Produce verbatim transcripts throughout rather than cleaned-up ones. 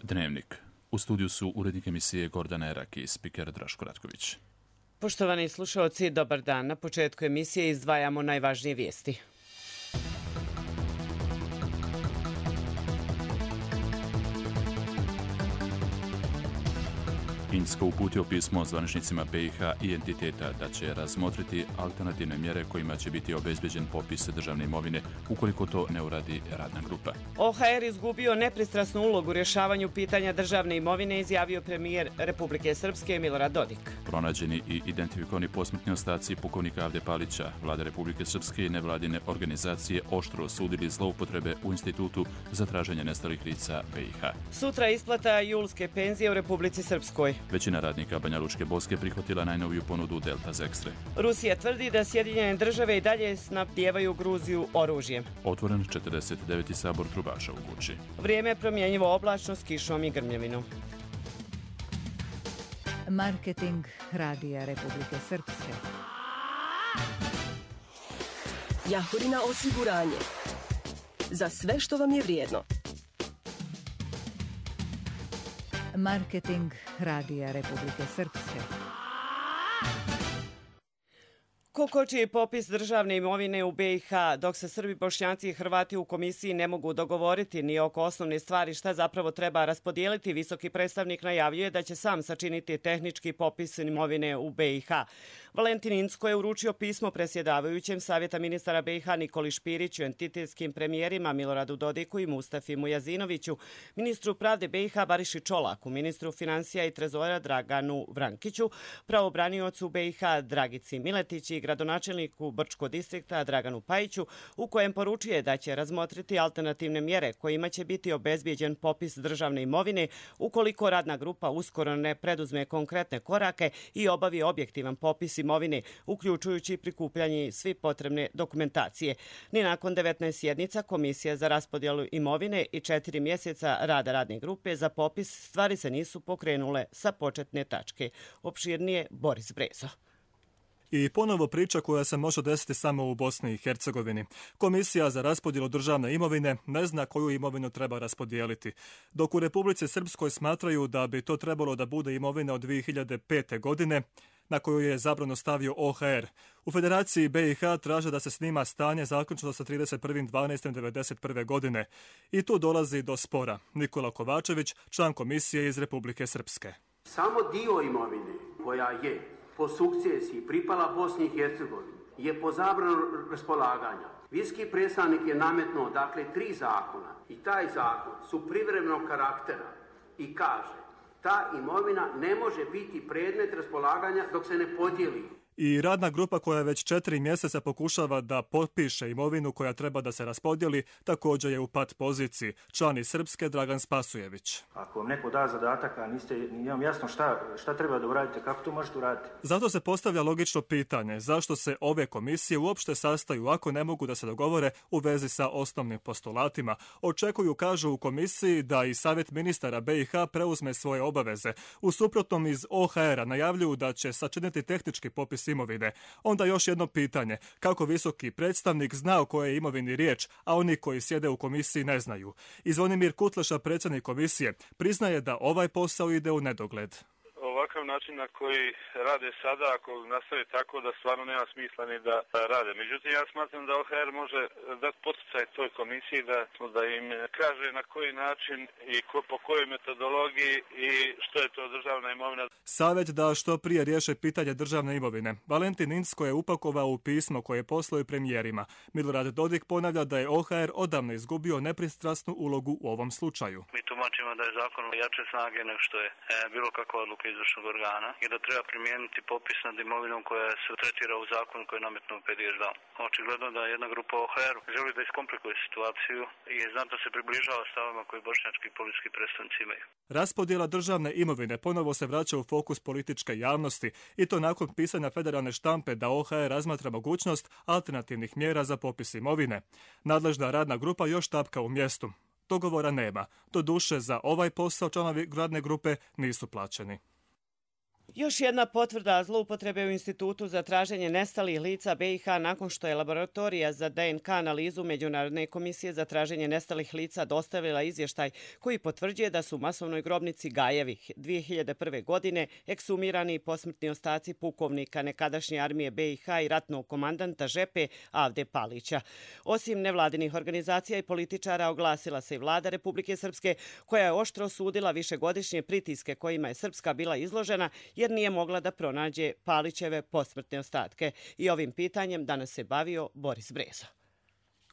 Dnevnik. U studiju su urednik emisije Gordana Erak i spiker Draško Ratković. Poštovani slušalci, dobar dan. Na početku emisije izdvajamo najvažnije vijesti. Finska uputio pismo zvaničnicima B i H i entiteta da će razmotriti alternativne mjere kojima će biti obezbeđen popis državne imovine ukoliko to ne uradi radna grupa. O H R izgubio nepristrasnu ulogu u rješavanju pitanja državne imovine, izjavio premijer Republike Srpske Milorad Dodik. Pronađeni i identifikovani posmrtni ostaci pukovnika Avde Palića, Vlada Republike Srpske i nevladine organizacije oštro osudili zloupotrebe u Institutu za traženje nestalih lica B i H. Sutra isplata julske penzije u Republici Srpskoj. Većina radnika Banja Lučke Boske prihvatila najnoviju ponudu Delta Zextre. Rusija tvrdi da Sjedinjene države i dalje snabdijevaju Gruziju oružjem. Otvoren četrdeset deveti sabor trubaša u Guči. Vrijeme promjenjivo oblačno s kišom i grmljavinom. Marketing Radija Republike Srpske. Jahorina osiguranje. Za sve što vam je vrijedno. Marketing Radija Republike Srpske. Ko koči popis državne imovine u B i H, dok se Srbi, Bošnjaci i Hrvati u komisiji ne mogu dogovoriti ni oko osnovne stvari šta zapravo treba raspodijeliti, visoki predstavnik najavljuje da će sam sačiniti tehnički popis imovine u B i H. Valentin Incko je uručio pismo predsjedavajućem Savjeta ministara B i H Nikoli Špiriću, entitetskim premijerima Miloradu Dodiku i Mustafi Mujazinoviću, ministru pravde B i H Bariši Čolaku, ministru financija i trezora Draganu Vrankiću, pravobraniocu B i H Dragici Miletić i gradonačelniku Brčko distrikta Draganu Pajiću, u kojem poručuje da će razmotriti alternativne mjere kojima će biti obezbijeđen popis državne imovine ukoliko radna grupa uskoro ne preduzme konkretne korake i obavi objektivan popis imovine, uključujući prikupljanje svi potrebne dokumentacije. Ni nakon devetnaest sjednica Komisija za raspodjelu imovine i četiri mjeseca rada radne grupe za popis stvari se nisu pokrenule sa početne tačke. Opširnije Boris Brezo. I ponovo priča koja se može desiti samo u Bosni i Hercegovini. Komisija za raspodjelu državne imovine ne zna koju imovinu treba raspodijeliti. Dok u Republici Srpskoj smatraju da bi to trebalo da bude imovina od dvije hiljade pete. godine, na koju je zabrano stavio O H R. U Federaciji B i H traže da se snima stanje zaključno sa trideset prvog dvanaestog devedeset prve. godine. I tu dolazi do spora. Nikola Kovačević, član komisije iz Republike Srpske. Samo dio imovine koja je po sukcesiji pripala Bosni i Hercegovini je po zabranu raspolaganja. Viski predstavnik je nametnuo dakle tri zakona i taj zakon su privremenog karaktera i kaže ta imovina ne može biti predmet raspolaganja dok se ne podijeli. I radna grupa koja već četiri mjeseca pokušava da potpiše imovinu koja treba da se raspodijeli, također je u pat poziciji. Član iz Srpske Dragan Spasujević. Ako vam neko da zadatak, a niste, nije vam jasno šta, šta treba da uradite, kako to možete uraditi? Zato se postavlja logično pitanje zašto se ove komisije uopšte sastaju ako ne mogu da se dogovore u vezi sa osnovnim postulatima. Očekuju, kažu u komisiji, da i Savjet ministara B i H preuzme svoje obaveze. U suprotnom iz O H R-a najavljuju da će sačiniti tehnički popis imovine. Onda još jedno pitanje, kako visoki predstavnik zna o kojoj imovini riječ, a oni koji sjede u komisiji ne znaju. I Zvonimir Kutleša, predsjednik komisije, priznaje da ovaj posao ide u nedogled. Ovakav način na koji rade sada, ako nastave tako, da stvarno nema smisla ni da rade. Međutim, ja smatram da O H R može dati poticaj toj komisiji da, da im kaže na koji način i ko, po kojoj metodologiji i što je to državna imovina. Savjet da što prije riješe pitanje državne imovine. Valentin Incko je upakovao u pismo koje poslao i premijerima. Milorad Dodik ponavlja da je O H R odavno izgubio nepristrasnu ulogu u ovom slučaju. Mi tumačimo da je zakon jače snage nego što je e, bilo kakva odluka izvršnog organa i da treba primijeniti popis nad imovinom koja se tretira u zakonu koji je nametnuo P D S D. Očigledno da jedna grupa O H R želi da iskomplikuje situaciju i znatno se približava stavama koji bošnjački politički predstavnici imaju. Raspodjela državne imovine ponovo se vraća u fokus političke javnosti i to nakon pisanja federalne štampe da O H R razmatra mogućnost alternativnih mjera za popis imovine. Nadležna radna grupa još tapka u mjestu. Dogovora nema. Doduše, za ovaj posao članovi radne grupe nisu plaćeni. Još jedna potvrda zloupotrebe u Institutu za traženje nestalih lica B i H nakon što je laboratorija za D N K analizu Međunarodne komisije za traženje nestalih lica dostavila izvještaj koji potvrđuje da su u masovnoj grobnici Gajevi dvije hiljade prve. godine eksumirani posmrtni ostaci pukovnika nekadašnje armije B i H i ratnog komandanta Žepe Avde Palića. Osim nevladinih organizacija i političara oglasila se i vlada Republike Srpske koja je oštro osudila višegodišnje pritiske kojima je Srpska bila izložena jer nije mogla da pronađe Palićeve posmrtne ostatke. I ovim pitanjem danas se bavio Boris Brezo.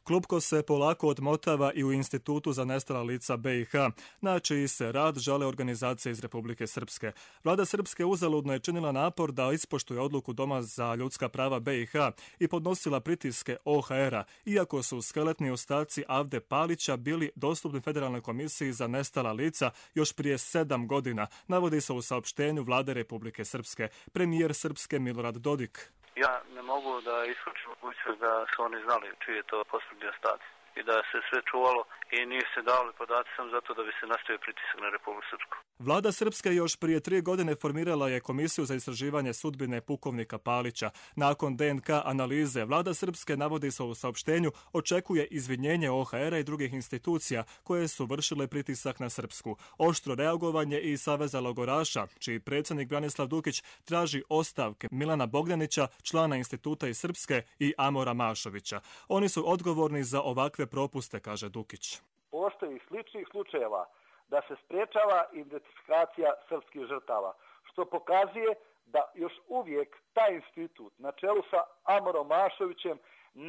Klupko se polako odmotava i u Institutu za nestala lica B i H, na čiji se rad žale organizacije iz Republike Srpske. Vlada Srpske uzaludno je činila napor da ispoštuje odluku Doma za ljudska prava B i H i podnosila pritiske O H R-a, iako su skeletni ostaci Avde Palića bili dostupni Federalnoj komisiji za nestala lica još prije sedam godina, navodi se u saopštenju Vlade Republike Srpske. Premijer Srpske Milorad Dodik. Ja ne mogu da isključim mogućnost da su oni znali čiji je to posmrtni ostaci i da se sve čuvalo i nije se davali podaci sam zato da bi se nastavio pritisak na Republiku Srpsku. Vlada Srpske još prije tri godine formirala je Komisiju za istraživanje sudbine pukovnika Palića. Nakon D N K analize, Vlada Srpske, navodi se u saopštenju, očekuje izvinjenje O H R-a i drugih institucija koje su vršile pritisak na Srpsku. Oštro reagovanje i Saveza logoraša, čiji predsjednik Branislav Dukić traži ostavke Milana Bogdanića, člana instituta iz Srpske, i Amora Mašovića. Oni su odgovorni za ovakve propuste, kaže Dukić. Postoji sličnih slučajeva da se sprečava identifikacija srpskih žrtava, što pokazuje da još uvijek taj institut na čelu sa Amorom Mašovićem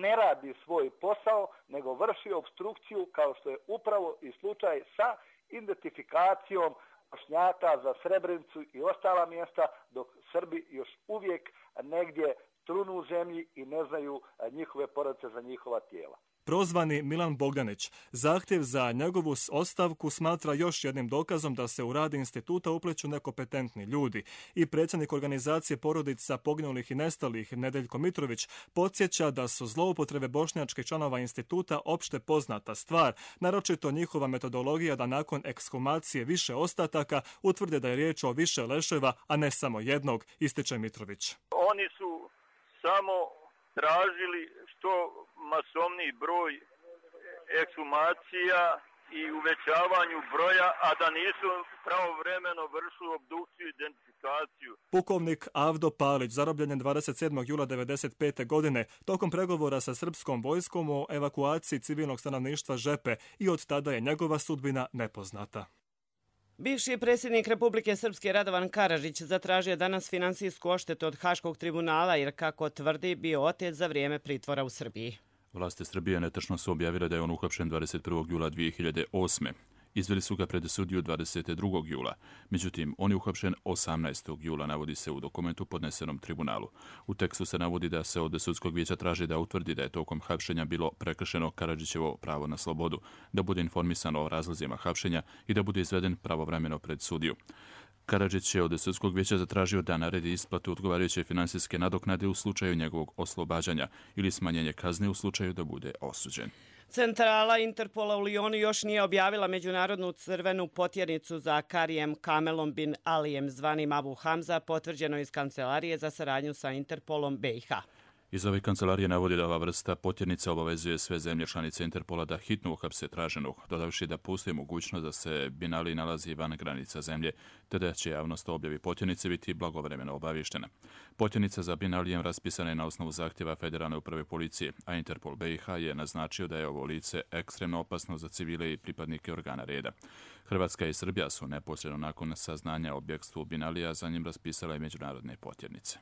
ne radi svoj posao, nego vrši obstrukciju kao što je upravo i slučaj sa identifikacijom Bošnjaka za Srebrenicu i ostala mjesta, dok Srbi još uvijek negdje trunu u zemlji i ne znaju njihove porodice za njihova tijela. Prozvani Milan Bogdanić zahtjev za njegovu ostavku smatra još jednim dokazom da se u rad instituta upleću nekompetentni ljudi. I predsjednik organizacije porodica poginulih i nestalih Nedeljko Mitrović podsjeća da su zloupotrebe bošnjačkih članova instituta opšte poznata stvar, naročito njihova metodologija da nakon ekshumacije više ostataka utvrde da je riječ o više leševa, a ne samo jednog, ističe Mitrović. Oni su samo tražili što masovniji broj ekshumacija i uvećavanju broja, a da nisu pravovremeno vršili obdukciju i identifikaciju. Pukovnik Avdo Palić zarobljen je dvadeset sedmog jula devedeset pete. godine tokom pregovora sa srpskom vojskom o evakuaciji civilnog stanovništva Žepe i od tada je njegova sudbina nepoznata. Bivši predsjednik Republike Srpske Radovan Karadžić zatražio danas finansijsku odštetu od Haškog tribunala jer, kako tvrdi, bio otet za vrijeme pritvora u Srbiji. Vlasti Srbije netačno su objavile da je on uhapšen dvadeset prvog jula dvije hiljade osme. Izveli su ga pred sudiju dvadeset drugog jula. Međutim, on je uhapšen osamnaestog jula, navodi se u dokumentu podnesenom tribunalu. U tekstu se navodi da se od sudskog vijeća traži da utvrdi da je tokom hapšenja bilo prekršeno Karadžićevo pravo na slobodu, da bude informisan o razlozima hapšenja i da bude izveden pravovremeno pred sudiju. Karadžić je od sudskog vijeća zatražio da naredi isplatu odgovarajuće finansijske nadoknade u slučaju njegovog oslobađanja ili smanjenje kazne u slučaju da bude osuđen. Centrala Interpola u Lijonu još nije objavila međunarodnu crvenu potjernicu za Karijem Kamelom bin Alijem zvanim Abu Hamza, potvrđeno iz Kancelarije za saradnju sa Interpolom B i H. Iz ove kancelarije navodi da ova vrsta potjernica obavezuje sve zemlje članice Interpola da hitno uhapse traženog, dodavši da postoji mogućnost da se Bin Ali nalazi van granica zemlje, te da će javnost o objavi potjernice biti blagovremeno obavještena. Potjernica za Bin Alijem raspisana je na osnovu zahtjeva Federalne uprave policije, a Interpol B i H je naznačio da je ovo lice ekstremno opasno za civile i pripadnike organa reda. Hrvatska i Srbija su neposredno nakon saznanja o bjegstvu Bin Alija za njim raspisala i međunarodne potjernice.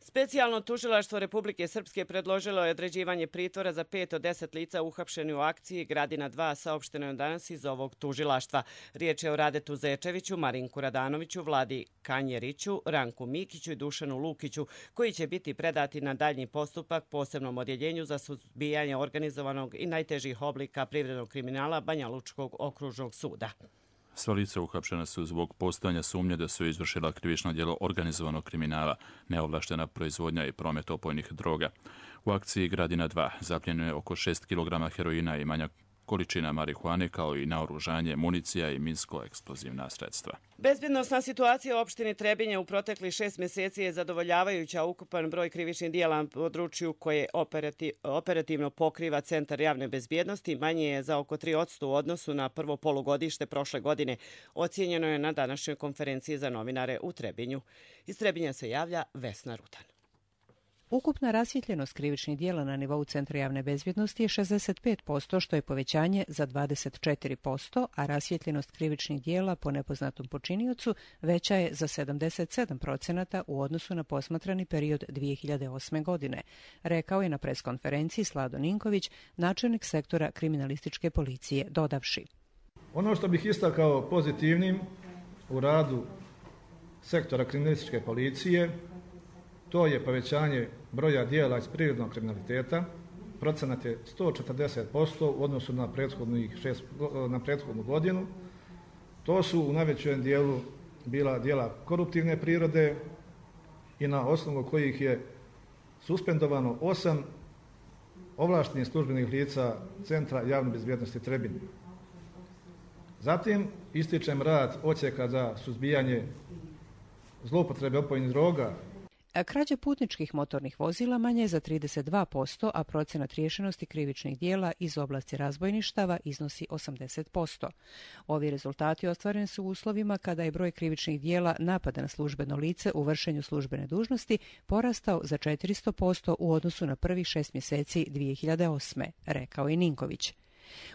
Specijalno tužilaštvo Republike Srpske predložilo je određivanje pritvora za pet od deset lica uhapšeni u akciji Gradina dva, saopšteno je danas iz ovog tužilaštva. Riječ je o Radetu Zečeviću, Marinku Radanoviću, Vladi Kanjeriću, Ranku Mikiću i Dušanu Lukiću, koji će biti predati na daljnji postupak posebnom odjeljenju za suzbijanje organizovanog i najtežih oblika privrednog kriminala Banja Lučkog okružnog suda. Sva lica uhapšena su zbog postojanja sumnje da su izvršila krivično djelo organizovanog kriminala, neovlaštena proizvodnja i promet opojnih droga. U akciji Gradina dva zapljeno je oko šest kilograma heroina i manja količina marihuane kao i naoružanje, municija i minsko-eksplozivna sredstva. Bezbjednosna situacija u opštini Trebinje u proteklih šest mjeseci je zadovoljavajuća. Ukupan broj krivičnih dijela na području koje operati, operativno pokriva Centar javne bezbjednosti manje je za oko tri posto u odnosu na prvo polugodište prošle godine. Ocijenjeno je na današnjoj konferenciji za novinare u Trebinju. Iz Trebinja se javlja Vesna Rutan. Ukupna rasvjetljenost krivičnih dijela na nivou Centra javne bezbjednosti je šezdeset pet posto, što je povećanje za dvadeset četiri posto, a rasvjetljenost krivičnih dijela po nepoznatom počiniocu veća je za sedamdeset sedam procenata u odnosu na posmatrani period dvije hiljade osme. godine, rekao je na preskonferenciji Slado Ninković, načelnik sektora kriminalističke policije, dodavši. Ono što bih istakao pozitivnim u radu sektora kriminalističke policije, to je povećanje broja dijela iz prirodnog kriminaliteta. Procenat je sto četrdeset posto u odnosu na, šest, na prethodnu godinu. To su u najvećem dijelu bila dijela koruptivne prirode i na osnovu kojih je suspendovano osam ovlaštenih službenih lica Centra javne bezbjednosti Trebinje. Zatim ističem rad odsjeka za suzbijanje zloupotrebe opojnih droga. Krađa putničkih motornih vozila manje je za trideset dva posto, a procenat riješenosti krivičnih dijela iz oblasti razbojništava iznosi osamdeset posto. Ovi rezultati ostvareni su u uslovima kada je broj krivičnih dijela napada na službeno lice u vršenju službene dužnosti porastao za četiristo posto u odnosu na prvih šest mjeseci dvije hiljade osme. rekao je Ninković.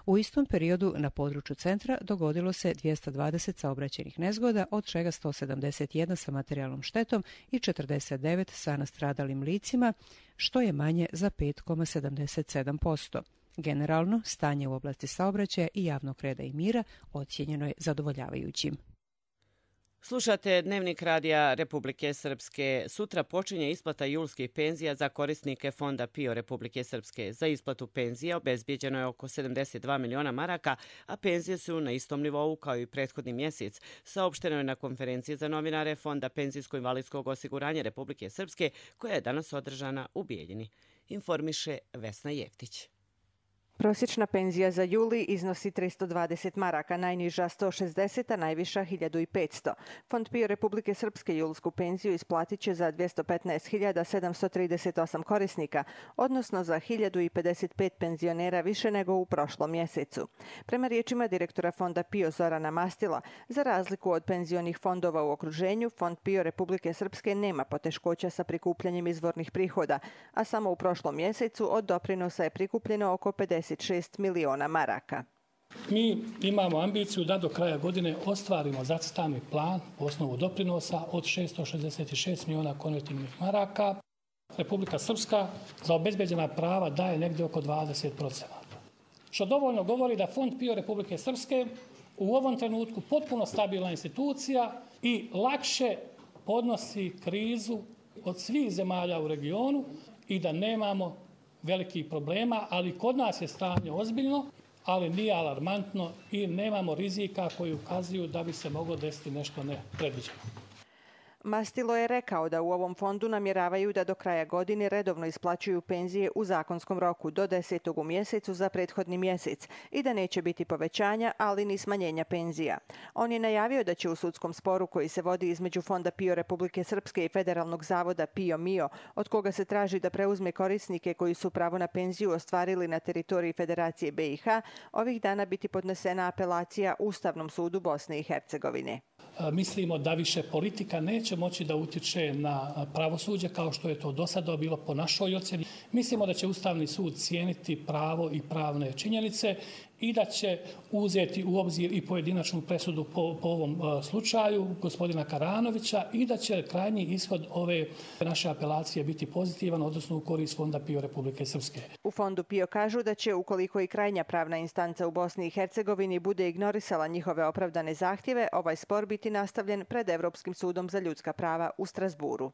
U istom periodu na području centra dogodilo se dvjesto dvadeset saobraćajnih nezgoda, od čega sto sedamdeset jedan sa materijalnom štetom i četrdeset devet sa nastradalim licima, što je manje za pet zarez sedamdeset sedam posto. Generalno, stanje u oblasti saobraćaja i javnog reda i mira ocijenjeno je zadovoljavajućim. Slušate Dnevnik radija Republike Srpske. Sutra počinje isplata julskih penzija za korisnike Fonda PIO Republike Srpske. Za isplatu penzija obezbijeđeno je oko sedamdeset dva miliona maraka, a penzije su na istom nivou kao i prethodni mjesec. Saopšteno je na konferenciji za novinare Fonda penzijsko-invalidskog osiguranja Republike Srpske, koja je danas održana u Bijeljini. Informiše Vesna Jeftić. Prosječna penzija za juli iznosi tristo dvadeset maraka, najniža sto šezdeset, a najviša hiljadu petsto. Fond PIO Republike Srpske julsku penziju isplatit će za dvjesto petnaest hiljada sedamsto trideset osam korisnika, odnosno za hiljadu pedeset pet penzionera više nego u prošlom mjesecu. Prema riječima direktora Fonda PIO Zorana Mastila, za razliku od penzionih fondova u okruženju, Fond PIO Republike Srpske nema poteškoća sa prikupljanjem izvornih prihoda, a samo u prošlom mjesecu od doprinosa je prikupljeno oko pedeset šest miliona maraka. Mi imamo ambiciju da do kraja godine ostvarimo zacrtani plan po osnovu doprinosa od šesto šezdeset šest miliona konvertibilnih maraka. Republika Srpska za obezbeđena prava daje negdje oko dvadeset posto. Što dovoljno govori da Fond PIO Republike Srpske u ovom trenutku potpuno stabilna institucija i lakše podnosi krizu od svih zemalja u regionu i da nemamo velikih problema, ali kod nas je stanje ozbiljno, ali nije alarmantno i nemamo rizika koji ukazuju da bi se moglo desiti nešto nepredviđeno. Mastilo je rekao da u ovom fondu namjeravaju da do kraja godine redovno isplaćuju penzije u zakonskom roku do desetog u mjesecu za prethodni mjesec i da neće biti povećanja, ali ni smanjenja penzija. On je najavio da će u sudskom sporu koji se vodi između Fonda PIO Republike Srpske i Federalnog zavoda PIO MIO, od koga se traži da preuzme korisnike koji su pravo na penziju ostvarili na teritoriji Federacije B i H, ovih dana biti podnesena apelacija Ustavnom sudu Bosne i Hercegovine. Mislimo da više politika neće moći da utječe na pravosuđe kao što je to do sada bilo po našoj ocjeni. Mislimo da će Ustavni sud cijeniti pravo i pravne činjenice i da će uzeti u obzir i pojedinačnu presudu po, po ovom uh, slučaju gospodina Karanovića i da će krajnji ishod ove naše apelacije biti pozitivan, odnosno u korist Fonda PIO Republike Srpske. U Fondu PIO kažu da će, ukoliko i krajnja pravna instanca u Bosni i Hercegovini bude ignorisala njihove opravdane zahtjeve, ovaj spor biti nastavljen pred Evropskim sudom za ljudska prava u Strasburu.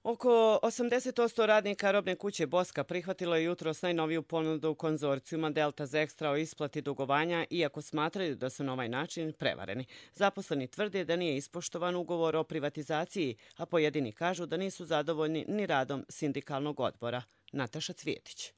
Oko osamdeset posto radnika robne kuće Boska prihvatilo je jutros najnoviju ponudu konzorcijuma Delta Zextra o isplati dugovanja, iako smatraju da su na ovaj način prevareni. Zaposleni tvrde da nije ispoštovan ugovor o privatizaciji, a pojedini kažu da nisu zadovoljni ni radom sindikalnog odbora. Nataša Cvjetić.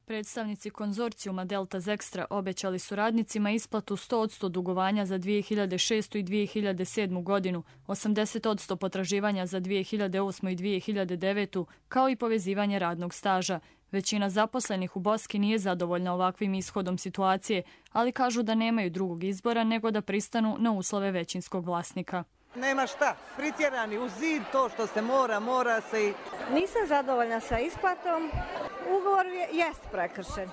Predstavnici konzorcijuma Delta Zextra obećali su radnicima isplatu sto posto dugovanja za dvije hiljade šestu i dvije hiljade sedmu godinu, osamdeset posto potraživanja za dvije hiljade osmu i dvije hiljade devetu, kao i povezivanje radnog staža. Većina zaposlenih u Boski nije zadovoljna ovakvim ishodom situacije, ali kažu da nemaju drugog izbora nego da pristanu na uslove većinskog vlasnika. Nema šta, pritjerani u zid, to što se mora, mora se i... Nisam zadovoljna sa isplatom. Ugovor je, jest prekršen. E,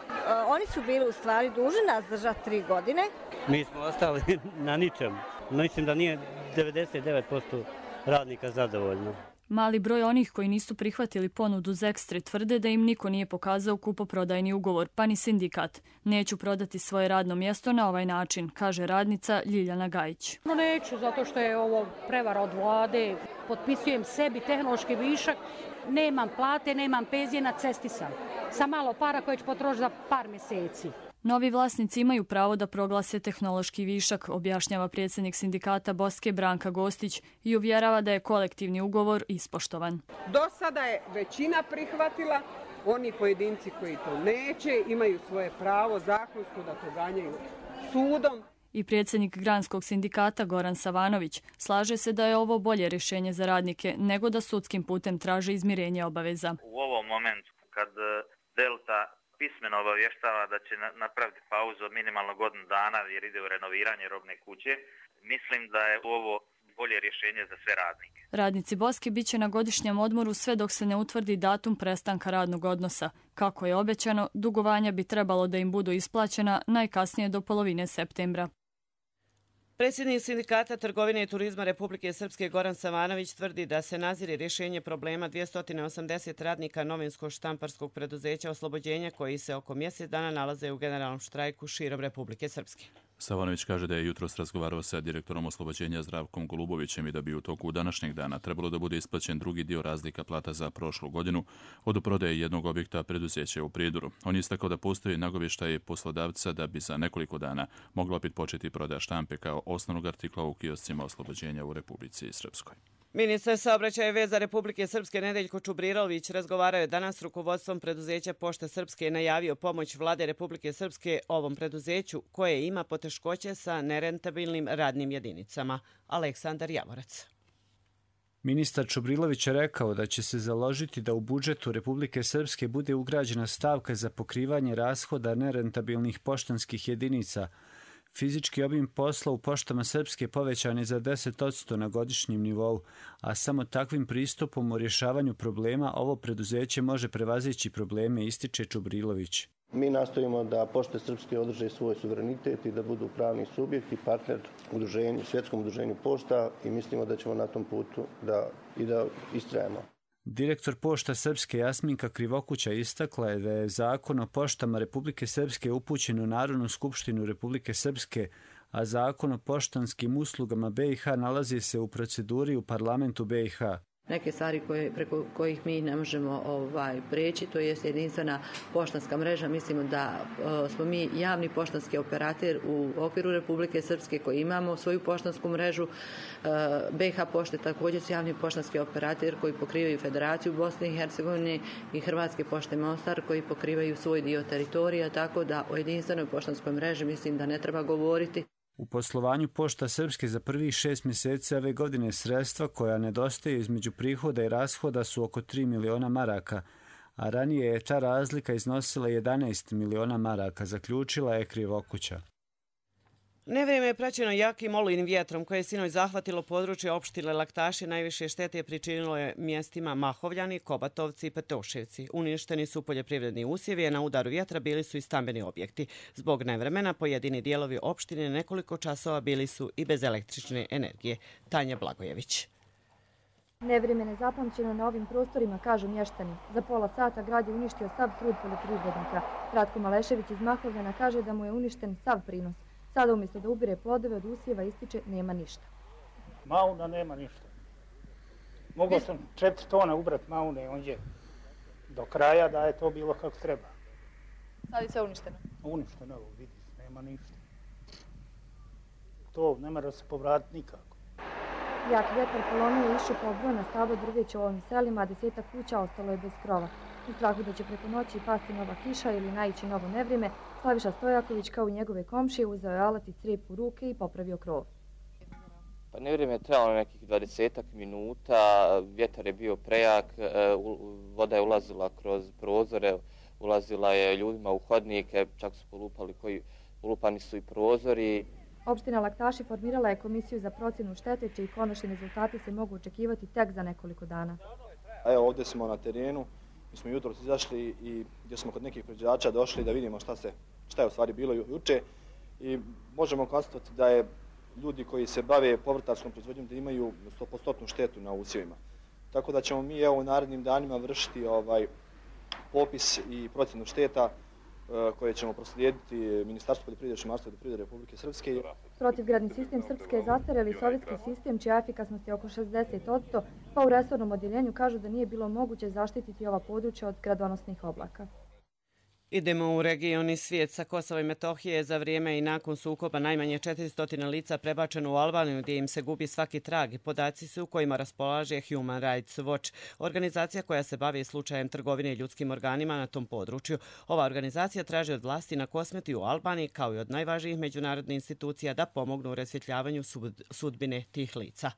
oni su bili u stvari dužni nas držati tri godine. Mi smo ostali na ničem. Mislim da nije devedeset devet posto radnika zadovoljno. Mali broj onih koji nisu prihvatili ponudu Zextre tvrde da im niko nije pokazao kupoprodajni ugovor, pa ni sindikat. Neću prodati svoje radno mjesto na ovaj način, kaže radnica Ljiljana Gajić. No neću, zato što je ovo prevara od vlade. Potpisujem sebi tehnološki višak, nemam plate, nemam penzije, na cesti sam. Sa malo para koje ću potrošiti za par mjeseci. Novi vlasnici imaju pravo da proglase tehnološki višak, objašnjava predsjednik sindikata Boske Branka Gostić i uvjerava da je kolektivni ugovor ispoštovan. Do sada je većina prihvatila, oni pojedinci koji to neće imaju svoje pravo zakonsko da to ganjaju sudom. I predsjednik Granskog sindikata Goran Savanović slaže se da je ovo bolje rješenje za radnike nego da sudskim putem traže izmirenje obaveza. U ovom momentu kad Delta pismeno obavještava da će napraviti pauzu od minimalno godinu dana jer ide u renoviranje robne kuće, mislim da je ovo bolje rješenje za sve radnike. Radnici Boske bit će na godišnjem odmoru sve dok se ne utvrdi datum prestanka radnog odnosa. Kako je obećano, dugovanja bi trebalo da im budu isplaćena najkasnije do polovine septembra. Predsjednik sindikata trgovine i turizma Republike Srpske Goran Savanović tvrdi da se nazire rješenje problema dvjesto osamdeset radnika novinsko-štamparskog preduzeća Oslobođenja koji se oko mjesec dana nalaze u generalnom štrajku širom Republike Srpske. Savanović kaže da je jutros razgovarao sa direktorom Oslobođenja Zdravkom Golubovićem i da bi u toku današnjeg dana trebalo da bude isplaćen drugi dio razlika plata za prošlu godinu od prodaje jednog objekta preduzeća u Prijedoru. On je istakao da postoji nagovještaj poslodavca da bi za nekoliko dana mogla opet početi prodaja štampe kao osnovnog artikla u kioscima Oslobođenja u Republici Srpskoj. Ministar saobraćaja i veza Republike Srpske Nedeljko Čubrirović razgovarao je danas s rukovodstvom preduzeća Pošte Srpske i najavio pomoć vlade Republike Srpske ovom preduzeću koje ima poteškoće sa nerentabilnim radnim jedinicama. Aleksandar Javorac. Ministar Čubrilović je rekao da će se založiti da u budžetu Republike Srpske bude ugrađena stavka za pokrivanje rashoda nerentabilnih poštanskih jedinica. Fizički obim posla u poštama Srpske povećan je za deset posto na godišnjem nivou, a samo takvim pristupom u rješavanju problema ovo preduzeće može prevazići probleme, ističe Čubrilović. Mi nastojimo da Pošte Srpske održe svoj suverenitet i da budu pravni subjekt i partner udruženju, svjetskom udruženju pošta i mislimo da ćemo na tom putu da, i da istrajemo. Direktor Pošta Srpske Jasminka Krivokuća istakla je da je zakon o poštama Republike Srpske upućen u Narodnu skupštinu Republike Srpske, a zakon o poštanskim uslugama B i H nalazi se u proceduri u parlamentu B i H. Neke stvari koje, preko kojih mi ne možemo ovaj, preći, to je jedinstvena poštanska mreža. Mislimo da o, smo mi javni poštanski operator u okviru Republike Srpske koji imamo svoju poštansku mrežu. E, B i H pošte također su javni poštanski operator koji pokrivaju Federaciju Bosne i Hercegovine i Hrvatske pošte Mostar koji pokrivaju svoj dio teritorija, tako da o jedinstvenoj poštanskoj mreži mislim da ne treba govoriti. U poslovanju Pošta Srpske za prvih šest mjeseci ove godine sredstva koja nedostaju između prihoda i rashoda su oko tri miliona maraka, a ranije je ta razlika iznosila jedanaest miliona maraka, zaključila je Krivokuća. Nevrijeme je praćeno jakim olujnim vjetrom koje je sinoć zahvatilo područje opštine Laktaši. Najviše štete je pričinilo je mjestima Mahovljani, Kobatovci i Petoševci. Uništeni su poljoprivredni usjevi, a na udaru vjetra bili su i stambeni objekti. Zbog nevremena pojedini dijelovi opštine nekoliko časova bili su i bez električne energije. Tanja Blagojević. Nevrijeme nezapamćeno na ovim prostorima, kažu mještani. Za pola sata grad je uništio sav trud poljoprivrednika. Ratko Malešević iz Mahovljana kaže da mu je uništen sav prinos. Sada umjesto da ubire plodove od usjeva ističe nema ništa. Mauna nema ništa. Mogao sam četiri tona ubrat maune onđe do kraja da je to bilo kako treba. Sad je sve uništeno? Uništeno, evo vidi, nema ništa. To ne mora se povratiti nikako. Jak vjetar polomio i iščupao brojna stabla drveća u ovim selima, a desetak kuća ostalo je bez krova. U strahu da će preko noći pasti nova kiša ili naići novo nevrijeme, Slaviša Stojaković kao i njegove komšije uzeo je alat i crijep u ruke i popravio krov. Pa nevrijeme je trajalo nekih dvadesetak minuta, vjetar je bio prejak, voda je ulazila kroz prozore, ulazila je ljudima u hodnike, čak su polupali koji, polupani su i prozori. Opština Laktaši formirala je komisiju za procjenu štete, čiji konačni rezultati se mogu očekivati tek za nekoliko dana. Evo ovdje smo na terenu, mi smo jutros izašli i gdje smo kod nekih proizvođača došli da vidimo šta, se, šta je u stvari bilo juče i možemo konstatovati da je ljudi koji se bave povrtarskom proizvodnjom da imaju sto posto štetu na usjevima. Tako da ćemo mi evo u narednim danima vršiti ovaj popis i procjenu šteta koje ćemo proslijediti Ministarstvu poljoprivrede, šumarstva i vodoprivrede Republike Srpske. Protivgradni sistem Srpske je zastarjeli sovjetski sistem čija efikasnost je oko šezdeset posto, pa u resornom odjeljenju kažu da nije bilo moguće zaštititi ova područja od gradonosnih oblaka. Idemo u regioni svijet. Sa Kosova i Metohije za vrijeme i nakon sukoba najmanje četiristo lica prebačeno u Albaniju gdje im se gubi svaki trag. Podaci su kojima raspolaže Human Rights Watch, organizacija koja se bavi slučajem trgovine i ljudskim organima na tom području. Ova organizacija traži od vlasti na Kosmetu i u Albaniji kao i od najvažnijih međunarodnih institucija da pomognu u rasvjetljavaju sudbine tih lica.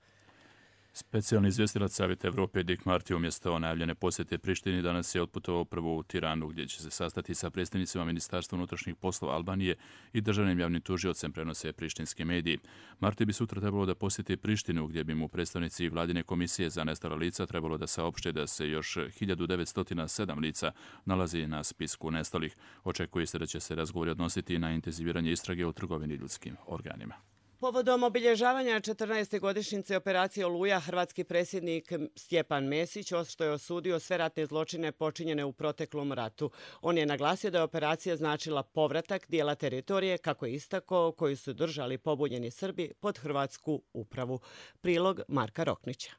Specijalni izvjestilac Savjeta Evrope Dick Marty umjesto najavljene posjete Prištini danas je otputovao prvo u Tiranu gdje će se sastati sa predstavnicima Ministarstva unutrašnjih poslova Albanije i državnim javnim tužiocem, prenose prištinski mediji. Marty bi sutra trebalo da posjeti Prištinu gdje bi mu predstavnici vladine komisije za nestala lica trebalo da saopšte da se još hiljadu devetsto sedam lica nalazi na spisku nestalih. Očekuje se da će se razgovori odnositi na intenziviranje istrage o trgovini ljudskim organima. Povodom obilježavanja četrnaeste godišnjice operacije Oluja, hrvatski predsjednik Stjepan Mesić ošto je osudio sve ratne zločine počinjene u proteklom ratu. On je naglasio da je operacija značila povratak dijela teritorije, kako je istakao, koju su držali pobunjeni Srbi pod hrvatsku upravu. Prilog Marka Roknića.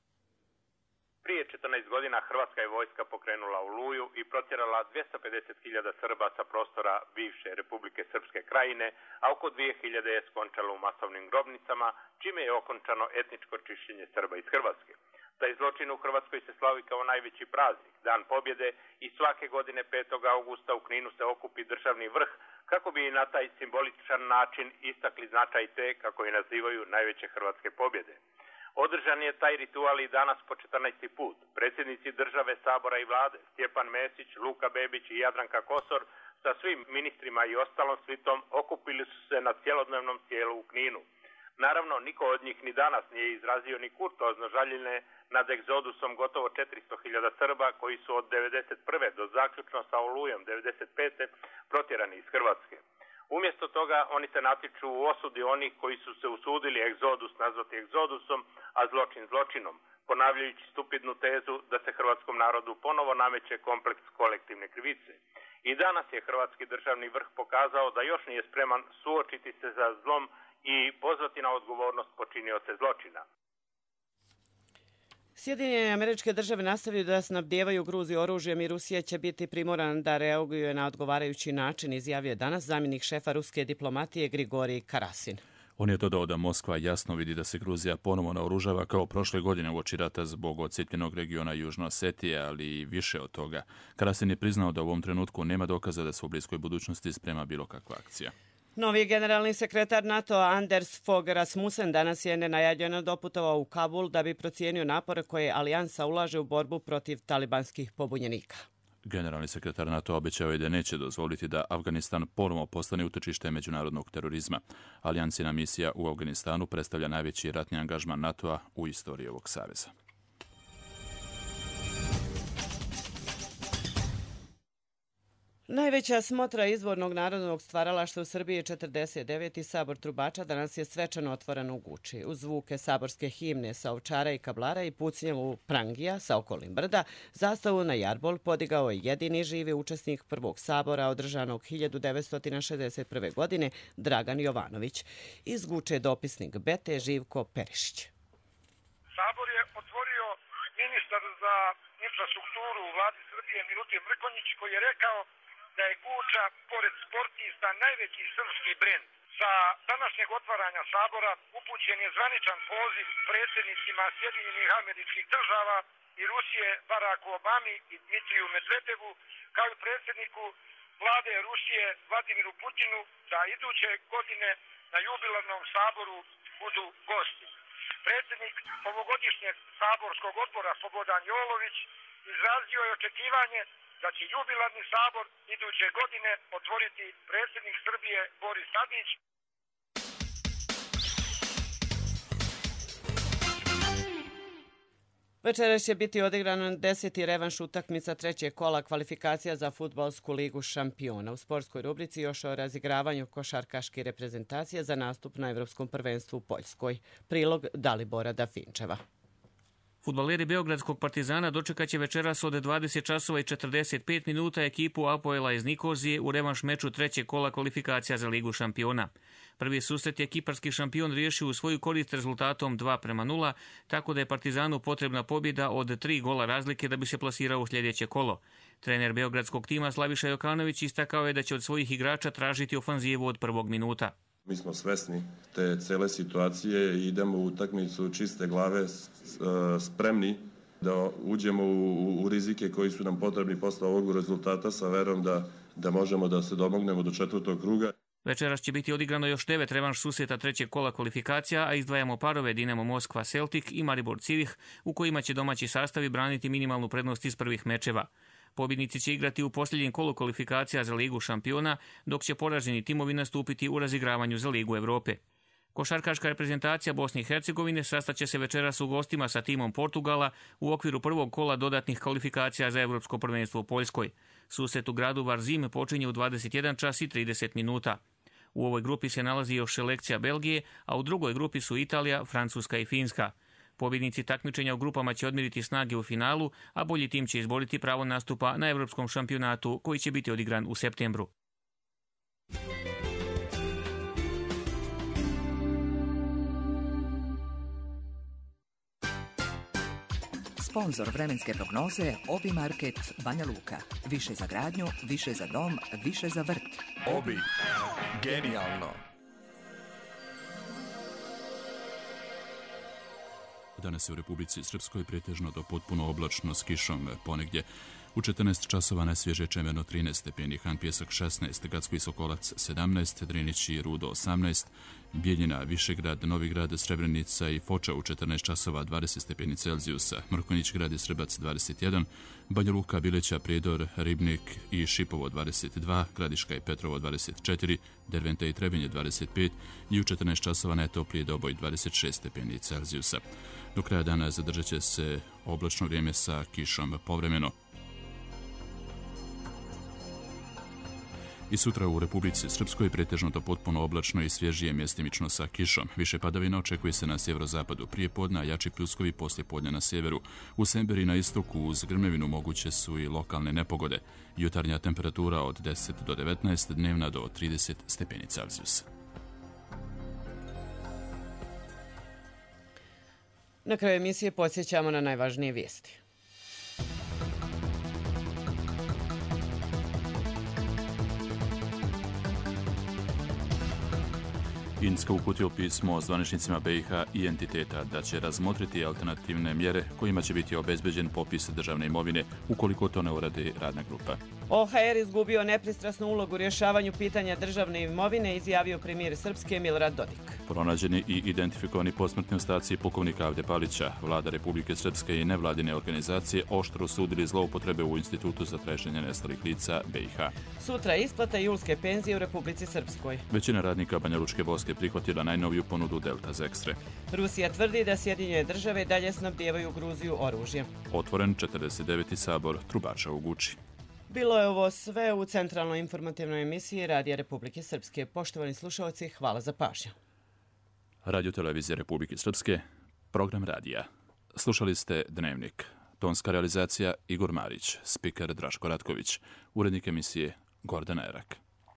Prije četrnaest godina hrvatska je vojska pokrenula Oluju i protjerala dvjesto pedeset hiljada Srba sa prostora bivše Republike Srpske krajine, a oko dvije hiljade je skončalo u masovnim grobnicama, čime je okončano etničko čišćenje Srba iz Hrvatske. Taj zločin u Hrvatskoj se slavi kao najveći praznik, Dan pobjede, i svake godine petog augusta u Kninu se okupi državni vrh kako bi na taj simboličan način istakli značaj te, kako je nazivaju, najveće hrvatske pobjede. Održan je taj ritual i danas po četrnaesti put. Predsjednici države, sabora i vlade, Stjepan Mesić, Luka Bebić i Jadranka Kosor sa svim ministrima i ostalom svitom okupili su se na cjelodnevnom tijelu u Kninu. Naravno, niko od njih ni danas nije izrazio ni kurtoazno žaljenje nad egzodusom gotovo četiristo hiljada Srba koji su od devedeset prve do zaključno sa Olujom devedeset pete protjerani iz Hrvatske. Umjesto toga oni se natiču u osudi onih koji su se usudili egzodus nazvati egzodusom, a zločin zločinom, ponavljajući stupidnu tezu da se hrvatskom narodu ponovo nameće kompleks kolektivne krivice. I danas je hrvatski državni vrh pokazao da još nije spreman suočiti se sa zlom i pozvati na odgovornost počinioce zločina. Sjedinjene Američke Države nastavljaju da snabdijevaju Gruziju oružjem i Rusija će biti primorana da reaguje na odgovarajući način, izjavio je danas zamjenik šefa ruske diplomatije Grigorij Karasin. On je dodao da Moskva jasno vidi da se Gruzija ponovo naoružava kao prošle godine uoči rata zbog odcijepljenog regiona Južno Osetije, ali i više od toga. Karasin je priznao da u ovom trenutku nema dokaza da se u bliskoj budućnosti sprema bilo kakva akcija. Novi generalni sekretar NATO Anders Fogh Rasmussen danas je nenajavljeno doputovao u Kabul da bi procijenio napore koje alijansa ulaže u borbu protiv talibanskih pobunjenika. Generalni sekretar NATO obećao je da neće dozvoliti da Afganistan ponovo postane utočište međunarodnog terorizma. Alijansina misija u Afganistanu predstavlja najveći ratni angažman NATO-a u istoriji ovog saveza. Najveća smotra izvornog narodnog stvaralaštva u Srbiji četrdeset deveti Sabor trubača danas je svečano otvoren u Guči. Uz zvuke saborske himne sa Ovčara i Kablara i pucnjavu prangija sa okolnim brda, zastavu na jarbol podigao je jedini živi učesnik prvog sabora održanog hiljadu devetsto šezdeset prve. godine Dragan Jovanović. Iz Guče dopisnik Bete Živko Perišić. Sabor je otvorio ministar za infrastrukturu u vladi Srbije Milutin Mrkonjić koji je rekao da je Guča, pored sportista, najveći srpski brend. Sa današnjeg otvaranja sabora upućen je zvaničan poziv predsjednicima Sjedinjenih Američkih Država i Rusije Baraku Obami i Dmitriju Medvedevu, kao i predsjedniku vlade Rusije Vladimiru Putinu, da iduće godine na jubilarnom saboru budu gosti. Predsjednik ovogodišnjeg saborskog odbora Slobodan Jolović izrazio je očekivanje da će jubilarni sabor iduće godine otvoriti predsjednik Srbije Boris Tadić. Večeras će biti odigran deseti revanš utakmica trećeg kola kvalifikacija za fudbalsku ligu šampiona. U sportskoj rubrici još o razigravanju košarkaške reprezentacije za nastup na Evropskom prvenstvu u Poljskoj. Prilog Dalibora Dafinčeva. Fudbaleri Beogradskog Partizana dočekaće večeras od dvadeset časova i četrdeset pet minuta ekipu Apoela iz Nikozije u revanš meču trećeg kola kvalifikacija za ligu šampiona. Prvi susret je kiparski šampion riješio u svoju korist rezultatom dva prema nula, tako da je Partizanu potrebna pobjeda od tri gola razlike da bi se plasirao u sljedeće kolo. Trener beogradskog tima Slaviša Jokanović istakao je da će od svojih igrača tražiti ofanzivu od prvog minuta. Mi smo svesni te cele situacije i idemo u utakmicu čiste glave, spremni da uđemo u, u rizike koji su nam potrebni posle ovog rezultata sa verom da, da možemo da se domognemo do četvrtog kruga. Večeras će biti odigrano još devet revanš susreta trećeg kola kvalifikacija, a izdvajamo parove Dinamo Moskva Celtic i Maribor Civih, u kojima će domaći sastavi braniti minimalnu prednost iz prvih mečeva. Pobjednici će igrati u posljednjem kolu kvalifikacija za ligu šampiona, dok će poraženi timovi nastupiti u razigravanju za ligu Evrope. Košarkaška reprezentacija Bosne i Hercegovine sastaće se večeras u gostima sa timom Portugala u okviru prvog kola dodatnih kvalifikacija za Evropsko prvenstvo u Poljskoj. Susret u gradu Varzim počinje u dvadeset jedan čas i trideset minuta. U ovoj grupi se nalazi još selekcija Belgije, a u drugoj grupi su Italija, Francuska i Finska. Pobjednici takmičenja u grupama će odmiriti snage u finalu, a bolji tim će izboriti pravo nastupa na Evropskom šampionatu koji će biti odigran u septembru. Sponzor vremenske prognoze Obi Market Banja Luka. Više za gradnju, više za dom, više za vrt. Obi. Genijalno. Danas je u Republici Srpskoj pretežno do potpuno oblačno s kišom, ponegdje u četrnaest časova najsvježe Čemerno trinaest stepeni, Han Pjesak šesnaest, Gacko i Sokolac sedamnaest, Drinić i Rudo osamnaest, Bijeljina, Višegrad, Novigrad, Srebrenica i Foča u četrnaest časova dvadeset stepeni Celzijusa, Mrkonjić grad i Srbac dvadeset jedan, Banja Luka, Bileća, Prijedor, Ribnik i Šipovo dvadeset dva, Gradiška i Petrovo dvadeset četiri, Derventa i Trebinje dvadeset pet i u četrnaest časova najtopliji Doboj dvadeset šest stepeni Celzijusa. Do kraja dana zadržat će se oblačno vrijeme sa kišom povremeno. I sutra u Republici Srpskoj pretežno do potpuno oblačno i svježije mjestimično sa kišom. Više padavina očekuje se na sjeverozapadu prije podne, a jači pljuskovi poslije podne na sjeveru. U Semberi na istoku uz grmevinu moguće su i lokalne nepogode. Jutarnja temperatura od deset do devetnaest, dnevna do trideset stepeni Celzijusa. Na kraju emisije podsjećamo na najvažnije vijesti. Indija uputio pismo zvaničnicima B i H i entiteta da će razmotriti alternativne mjere kojima će biti obezbeđen popis državne imovine ukoliko to ne uradi radna grupa. O H R izgubio nepristrasnu ulogu u rješavanju pitanja državne imovine, izjavio premijer Srpske Milorad Dodik. Pronađeni i identifikovani posmrtni ostaci pukovnika Avde Palića, vlada Republike Srpske i nevladine organizacije oštro osudili zloupotrebe u Institutu za traženje nestalih lica B i H. Sutra je isplata julske penzije u Republici Srpskoj. Većina radnika Banjalučke vojske prihvatila najnoviju ponudu Delta Zekstre. Rusija tvrdi da Sjedinjene države dalje snabdijevaju Gruziju oružjem. Otvoren četrdeset deveti sabor trubača u Guči. Bilo je ovo sve u centralnoj informativnoj emisiji Radija Republike Srpske. Poštovani slušalci, hvala za pažnju. Radio Televizije Republike Srpske, program radija. Slušali ste Dnevnik. Tonska realizacija Igor Marić, spiker Draško Ratković, urednik emisije Gordana Erak.